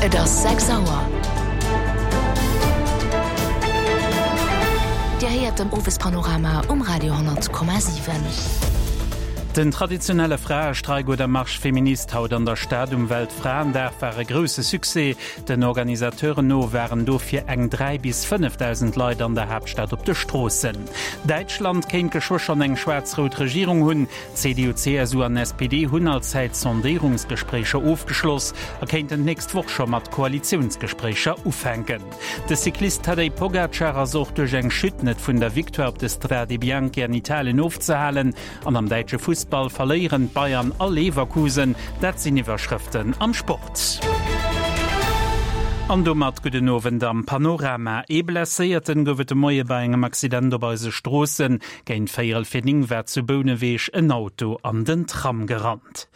Et ass 6 Auer. Dir héiert den Owespanorama um Radio 10,7. Den traditionelle Fraestreik oder Marche Féministe haut an der Stad um Weltfraendag war e grousse Succès. Den Organisateuren no waren dofir eng 3 bis 5.000 Leit an der Haaptstad op de Stroossen. Däitschland kéint geschwë schonn eng schwaarz-rout Regierung hunn. CDU, CSU an SPD hunn allzäit Sondéierungsgespréicher ofgeschloss a kéinten d'nächst Woch scho mat Koalitiounsgespréicher ufänken. De Cyclist Tadej Pogacar ass och duerch eng Chute net vun der Victoire op de Strade Bianche an Italien ofzehalen. An am däitsche Fussball verléieren d'Bayern a Leverkusen. Dat sinn Iwwerschrëften am Sport. An domat gudden Owend am Panorama. Ee Blesséierten gouf et de Moie bei engem Accident op eise Stroossen. Géint véierel fir 9 war zu Bouneweg en Auto an den Tram gerannt.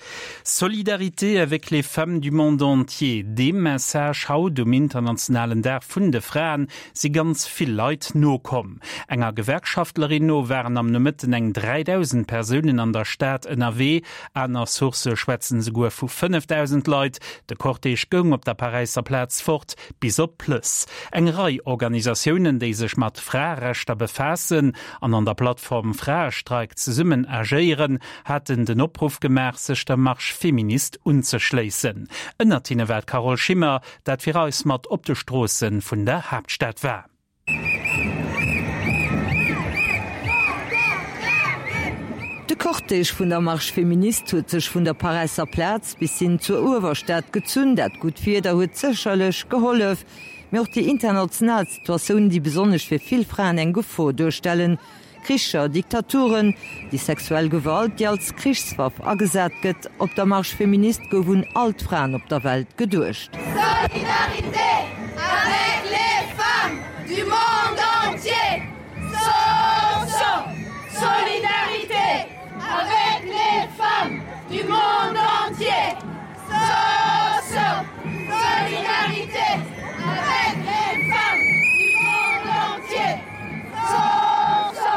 Solidarité avec les femmes du monde entier, deem Message haut um internationalen Dag vun de Fraen si ganz vill Leit nokomm. Enger Gewerkschaftlerin no waren am Nomëtten eng 3.000 Persounen an der Stad ënnerwee. Aner Sourcë schwätzen esouguer vu 5.000 Leit. De Cortège goung op der Paräisser Plaz fort bis op d'Plëss. Eng Rei Organisatiounen, déi sech mat Fraerechter befaassen an an der Plattform Fraestreik zesummen agéieren, haten den Opruff gemaach, sech der Marche féministe unzeschléissen. Ënnert hinne war d'Carole Schimmer, dat fir eis mat op de Stroosse vun der Haaptstad war. De Cortège vun der Marche féministe huet sech vun der Paräisser Plaz bis hin zur Uewerstad gezunn. Dat gutt Wieder huet sécherlech gehollef, mee och déi international Situatioun, déi besonnesch fir vill Fraen eng Gefor duerstellen, Kricher, Diktaturen, déi sexuell Gewalt, déi als Krichswaff agesat gëtt. Op der Marche féministe gouf un all d'Fraen op der Welt geduecht. Solidarité avec les femmes du monde entier! So so Solidarité avec les femmes du monde entier! So so Solidarité avec les femmes du monde entier! So so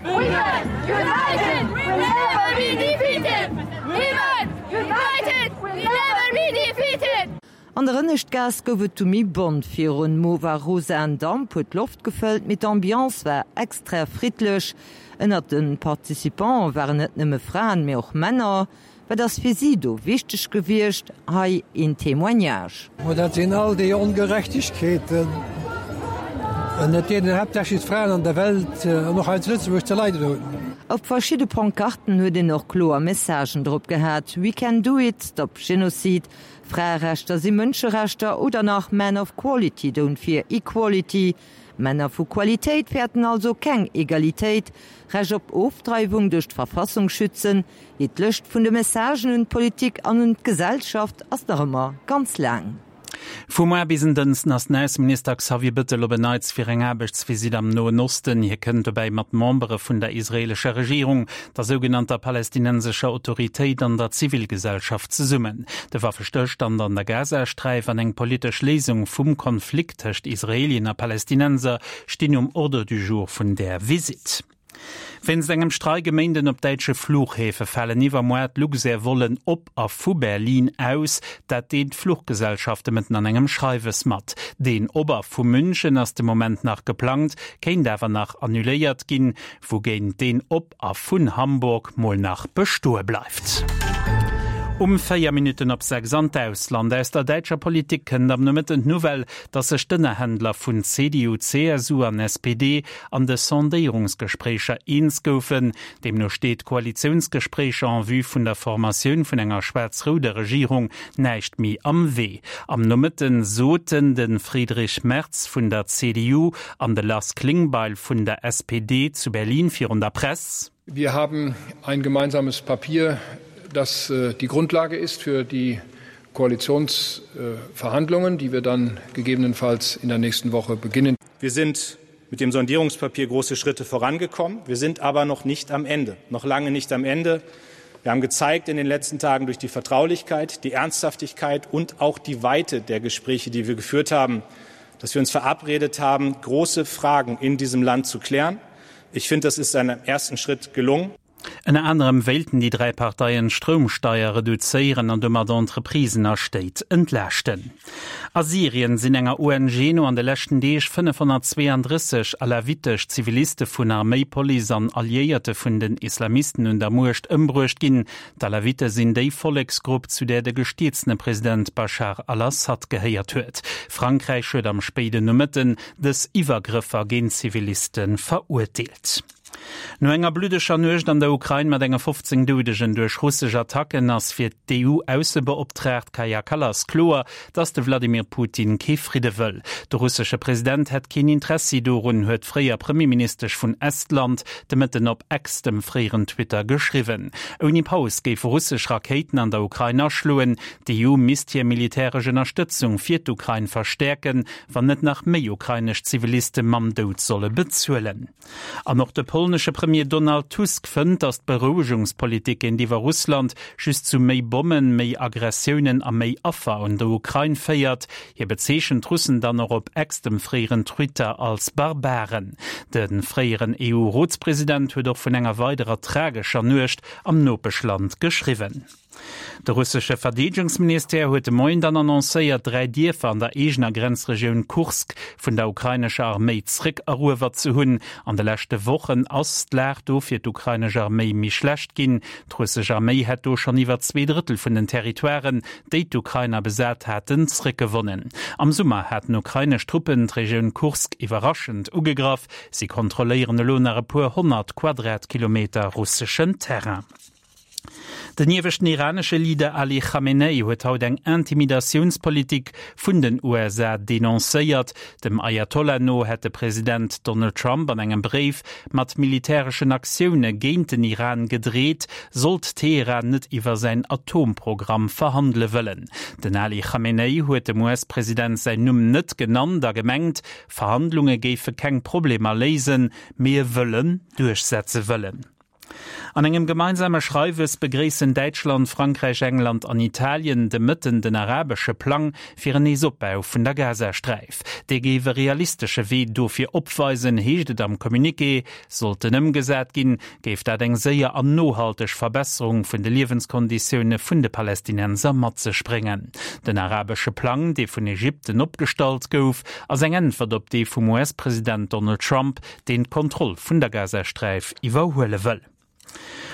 Women united will never be defeated! Women united will never be defeated! An der Ënneschtgaass gouf et du méi bont virun. Mauve a rosaen Damp huet d'Loft gefëllt, mee d'Ambiance war extra friddlech. Ënnert de Participante waren net nëmme Fraen, mee och Männer. Wat ass fir si do wichteg gewiescht? Hei een Témoignage. Ma dat sinn all déi Ongerechtegkeeten, ënnert deenen haaptsächlech d'Fraen an der Welt an och hei zu Lëtzebuerg ze leiden hunn. Op verschidde Pancarten huet een och kloer Messagen drop gehat, We can do it, Stop Genocide, Fraerechter si Mënscherechter oder nach Men of quality don't fear equality, Männer vu Qualitéit fäerten also keng Egalitéit, Recht op Ofdreiwung duerch d'Verfassung schützen, Jee, d'Lëscht vun de Messagen un d'Politik an un d'Gesellschaft ass nach ëmmer ganz laang. Vu muar bis en Dënsten ass den Ausseminister Xavier Bëttel op en Neits fir eng Aarbechtsvisitt am Noen Osten. Hie kënnt dobäi mat Membere vun der israeelescher Regierung, der sougenannter palästinensescher Autoritéit an der Zivilgesellschaft zesummen. De Waffestëllstand an der Gazasträif an eng politesch Léisung vum Konflikt tëscht Israeelien a Palästinenser stinn um Ordre du jour vun där Visitt. Wéinst engem Streik e Méinden op däitsche Fluchhäfe falen iwwermoar d'Luxair-Vollen op a vu Berlin aus. Dat deelt d'Fluchgesellschaft de Mëtten an engem Schreiwes mat. Deen op a vu München ass de Moment nach geplangt, kéint awer nach annuléiert ginn, wougéint deen op a vun Hamburg mol nach bestoe bleift. Um 4 Minutten op 6 an d'Ausland. Aus der däitscher Politik kënnt am Nomëtten d'Nouvelle, datt sech d'Ënnerhändler vun CDU, CSU an SPD an de Sondéierungsgespréicher eens goufen. Deemno steet Koalitiounsgespréicher en vue vun der Formatioun vun enger schwaarz-rouder Regierung näischt méi am Wee. Am Nomëtten soten de Friedrich Merz vun der CDU an de Lars Klingbeil vun der SPD zu Berlin virun der Press. Wir haben ein gemeinsames Papier, das die Grundlage ist für die Koalitionsverhandlungen, die wir dann gegebenenfalls in der nächsten Woche beginnen. Wir sind mit dem Sondierungspapier große Schritte vorangekommen. Wir sind aber noch nicht am Ende, noch lange nicht am Ende. Wir haben gezeigt in den letzten Tagen durch die Vertraulichkeit, die Ernsthaftigkeit und auch die Weite der Gespräche, die wir geführt haben, dass wir uns verabredet haben, große Fragen in diesem Land zu klären. Ich finde, das ist einem ersten Schritt gelungen. Ënner anerem wéilten déi 3 Parteien d'Stroumsteier reduzéieren an domat Entreprisen a Stéit entlaaschten. A Syrien sinn enger ONG no an de leschten Deeg 532 alawitesch Ziviliste vun Arméi, Police an Alliéierte vun den Islamisten un der Muecht ëmbruecht ginn. D'Alawite sinn déi Volleksgrupp, zu där de gestierzene President Baschar al-Assad gehéiert huet. Frankräich huet am spéiden Nomëtten dës Iwwergrëffer géint Ziviliste verurteelt. No enger bluddeger Nuecht an der Ukrain mat enge 15 Doudegen duerch russesch Attacken ass fir d'EU-Aussebeoptraagt Kaja Kallas kloer, datt de Wladimir Putin kee Fridde wëll. De russesche President hätt keen Interessi dorun, huet d'fréier Premierministesch vun Estland de Mëtten op X, dem fréieren Twitter, geschriwwen. Ouni Paus géife russesch Rakéiten an der Ukrain aschloen. D'EU misst hir militäresch Ënnerstëtzung fir d'Ukrain verstäerken, wann net nach méi ukrainesch Ziviliste mam Doud solle bezuelen. An och de polnesche Premier Donald Tusk fënnt, datt d'Berouegungspolitik géintiwwer Russland just zu méi Bommen, méi Aggressiounen a méi Affer un der Ukrain féiert. Hie bezeechent d'Russen dann och op X, dem fréieren Twitter, als Barbaren. De fréieren EU-Rotspresident huet och vun enger weiderer tragescher Nuecht am Nopeschland geschriwwen. De russesche Verdeedegungsministère huet de Moien dann annoncéiert, 3 Dierfer an der eegener Grenzregioun Kursk vun der ukrainescher Arméi zréckeruewert ze hunn. An de leschte Wochen ass d'Lag do fir d'ukrainesch Arméi méi schlecht ginn. D'russesch Arméi hätt do schonn iwwer 2 Drëttel vun den Territoiren, déi d'Ukrainer besat haten, zréckgewonnen. Am Summer haten ukrainesch Truppen d'Regioun Kursk iwwerraschend ugegraff. Si kontrolléieren elo nach e puer 100 Quadratkilometer russeschen Terrain. Den ieweschten iranesche Leader Ali Khamenei huet haut eng Intimidatiounspolitik vun den USA denoncéiert. Dem Ayatollah no hätt de President Donald Trump an engem Bréif mat militäreschen Aktioune géint den Iran gedreet, sollt Teheran net iwwer säin Atomprogramm verhandele wëllen. Den Ali Khamenei huet dem US-President säin Numm net genannt a gemengt, Verhandlunge géife keng Problemer léisen, mee e Wëllen duerchsetze wëllen. An engem gemeinsame Schreiwes begréissen Däitschland, Frankräich, England an Italien de Mëtten den arabesche Plang fir en Neesopbau vun der Gazasträif. Dee géif e realistesche Wee dofir opweisen, heescht et am Communiqué. Sollt en ëmgesat ginn, géif dat eng séier an nohalteg Verbesserung vun de Liewenskonditioune vun de Palästinenser mat sech bréngen. Den arabesche Plang, dee vun Ägypten opgestallt gouf, ass eng Äntwert op dee vum US-President Donald Trump, deen d'Kontroll vun der Gazasträif iwwerhuele wëll.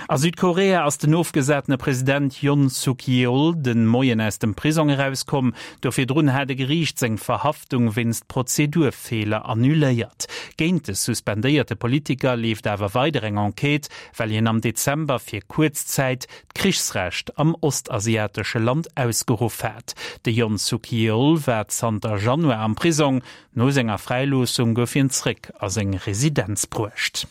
A Südkorea ass den ofgesatene President Yoon Suk Yeol de Moien aus dem Prisong erauskomm. Do virdrun hat e Geriicht seng Verhaftung wéinst Prozedurfeeler annuléiert. Géint de suspendéierte Politiker leeft awer weider eng Enquête, well hien am Dezember fir kuerz Zäit d'Krichsrecht am ostasiatesche Land ausgeruff hat. De Yoon Suk Yeol war zanter Januar am Prisong. No senger Fräiloossung gouf hien zréck a seng Residenz bruecht.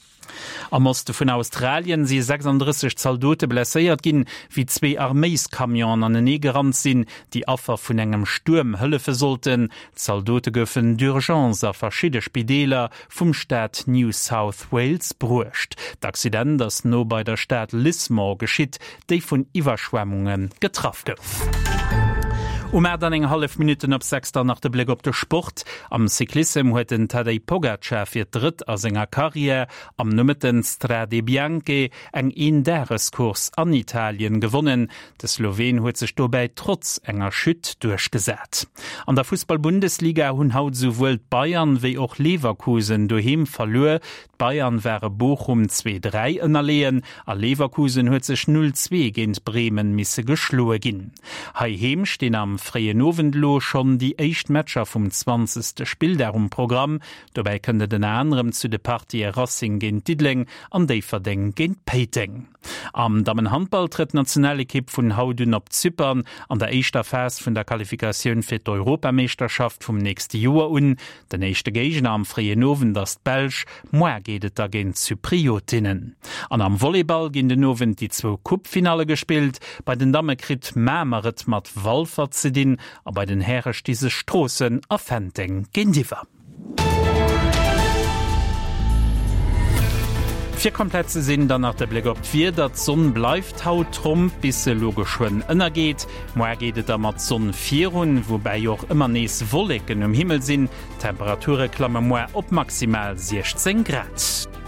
Am Oste vun Australien si 36 Zaldote blesséiert ginn, wéi zwee Arméiscamionen anenee gerannt sinn, déi Affer vun engem Stuerm hëllefe sollten. D'Zaldote goufen d'urgence a verschidde Spideeler vum Staat New South Wales bruecht. D'Accident ass no bei der Stad Lismore geschitt, déi vun Iwwerschwemmunge getraff gouf. Um 8 an eng hallef Minutten op 6 dann nach de Bléck op de Sport. Am Cyclissem huet den Tadej Pogacar fir d'drëtt a senger Karriär am Nomëtten d'Strade Bianche, eng Eendagescourse an Italien, gewonnen. De Sloween huet sech dobäi trotz enger Chute duerchgesat. An der Fussball-Bundesliga hunn haut esouwuel d'Bayern wéi och Leverkusen doheem verluer. D'Bayern ware Bochum 2, 3 ënnerleeën a Leverkusen huet sech 0, 2 géint Bremen misse geschloe ginn. Heiheem stinn am fréien Owend elo schonn déi éischt Matcher vum zwanzegste Spilldag um Programm. Dobäi kënnt et ënner anerem zu de Partië Racing géint Diddeleng an Déifferdeng géint Péiteng. Am Dammenhandball trëtt d'Nationalekipp vun haut un op Zypern an der éischter Phas vun der Qualifikatioun fir d'Europameeschterschaft vum nächste Joer un. Den éischte Géigner am fréien Owend ass d'Belsch, moar geet et da géint d'Zypriotinnen. An am Volleyball ginn den Owend déi zwou Coupe-Finalle gespillt. Bei den Damme kritt Mamer et mat Walfer ze dinn a bei den Häre sti sech Stroossen a Fenteng géintiwwer. Fir komplett ze sinn, dann nach de Bléck op d'Wieder, D'Sonn bleift haut Tromp, bis se elo geschwënn ënnergeet. Moar geet et da mat Sonn virun, woubäi och ëmmer nees Wolleken um Himmel sinn. D'Temperature klamme moar op maximal 16 Grad.